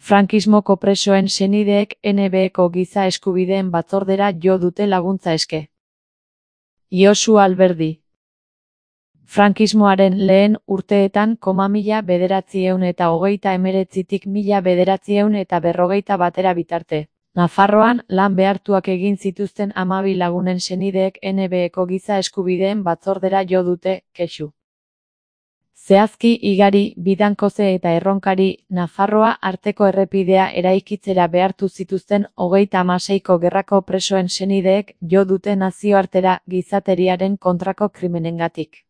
Frankismoko presoen senideek NBko giza eskubideen batzordera jo dute laguntza eske. Josu Alberdi. Frankismoaren lehen urteetan 1939tik 1941 bitarte. Nafarroan lan behartuak egin zituzten 12 lagunen senideek NBko giza eskubideen batzordera jo dute kexu. Zehazki Igari, Bidankoze eta Erronkari Nafarroa arteko errepidea eraikitzera behartu zituzten 36ko gerrako presoen senideek jo dute nazioartera gizateriaren kontrako krimenengatik.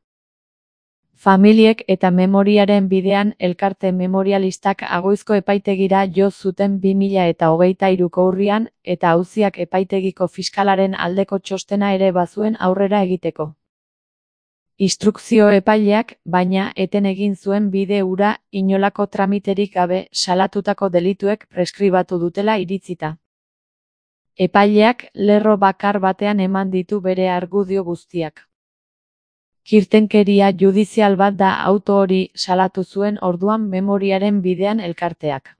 Familiek eta memoriaren bidean elkarte memorialistak Agoizko epaitegira jo zuten 2023ko urrian eta auziak epaitegiko fiskalaren aldeko txostena ere bazuen aurrera egiteko. Instrukzio epaileak, baina, eten egin zuen bide hura inolako tramiterik gabe salatutako delituek preskribatu dutela iritzita. Epaileak lerro bakar batean eman ditu bere argudio guztiak. Kirtenkeria judizial bat da auto hori salatu zuen orduan memoriaren bidean elkarteak.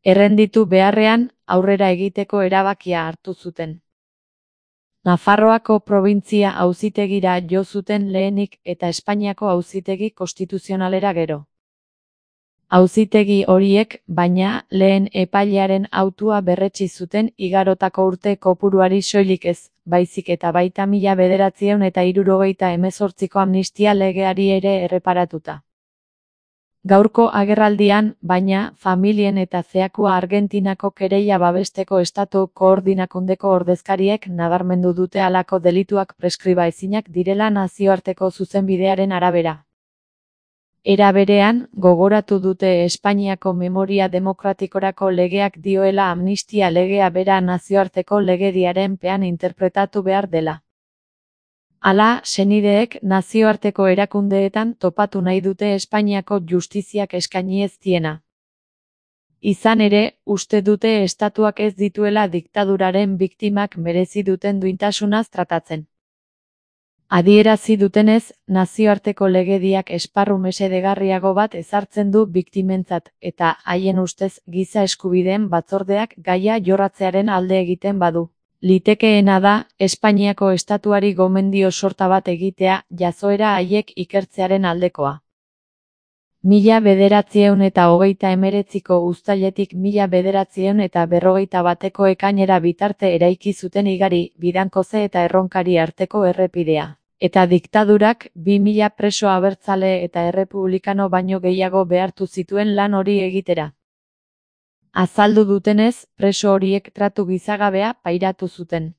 Errenditu beharrean, aurrera egiteko erabakia hartu zuten. Nafarroako probintzia auzitegira jo zuten lehenik eta Espainiako auzitegi konstituzionalera gero. Auzitegi horiek, baina, lehen epailearen autua berretsi zuten igarotako urte kopuruari soilik ez, baizik eta baita 1978ko amnistia legeari ere erreparatuta. Gaurko agerraldian, baina, familien eta zeakua Argentinako kereila babesteko estatu koordinakundeko ordezkariek nabarmendu dute halako delituak preskriba ezinak direla nazioarteko zuzenbidearen arabera. Era berean, gogoratu dute Espainiako memoria demokratikorako legeak dioela amnistia legea bera nazioarteko legediaren pean interpretatu behar dela. Hala, senideek nazioarteko erakundeetan topatu nahi dute Espainiako justiziak eskaini ez diena. Izan ere, uste dute estatuak ez dituela diktaduraren biktimak merezi duten duintasunaz tratatzen. Adierazi dutenez, nazioarteko legediak esparru mesedegarriago bat ezartzen du biktimentzat, eta haien ustez giza eskubideen batzordeak gaia jorratzearen alde egiten badu. Litekeena da, Espainiako estatuari gomendio sorta bat egitea, jazoera haiek ikertzearen aldekoa. 1939ko uztailetik 1941ko ekainera bitarte eraiki zuten Igari, Bidankoze eta Erronkari arteko errepidea. Eta diktadurak 2000 preso abertzale eta errepublikano baino gehiago behartu zituen lan hori egitera. Azaldu dutenez, preso horiek tratu gizagabea pairatu zuten.